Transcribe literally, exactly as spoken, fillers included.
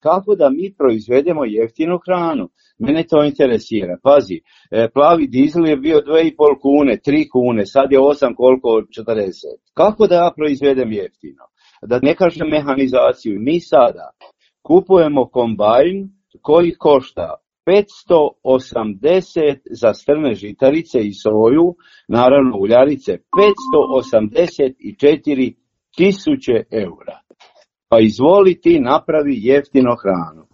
kako da mi proizvedemo jeftinu hranu. Mene to interesira. Pazi, plavi dizel je bio dvije i pol kune, tri kune, sad je osam, koliko, četrdeset. Kako da ja proizvedem jeftino? Da ne kažem mehanizaciju. Mi sada kupujemo kombajn koji košta petsto osamdeset za strne žitarice i soju, naravno uljarice, petsto osamdeset četiri tisuće eura. Pa izvoli ti napravi jeftino hranu.